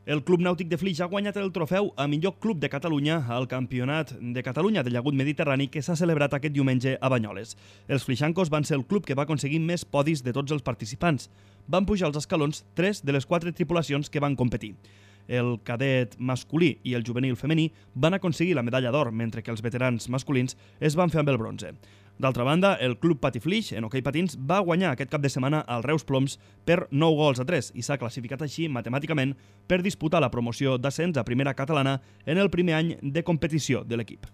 El Club Nàutic de Flix ha guanyat el trofeu a millor club de Catalunya al Campionat de Catalunya de Llagut Mediterrani que s'ha celebrat aquest diumenge a Banyoles. Els flixancos van ser el club que va aconseguir més podis de tots els participants. Van pujar als escalons 3 de les 4 tripulacions que van competir. El cadet masculí i el juvenil femení van aconseguir la medalla d'or, mentre que els veterans masculins es van fer amb el bronze. D'altra banda, el Club Patiflix, en hoquei patins, va guanyar aquest cap de setmana al Reus Ploms per 9-3 i s'ha classificat així matemàticament per disputar la promoció d'ascens a primera catalana en el primer any de competició de l'equip.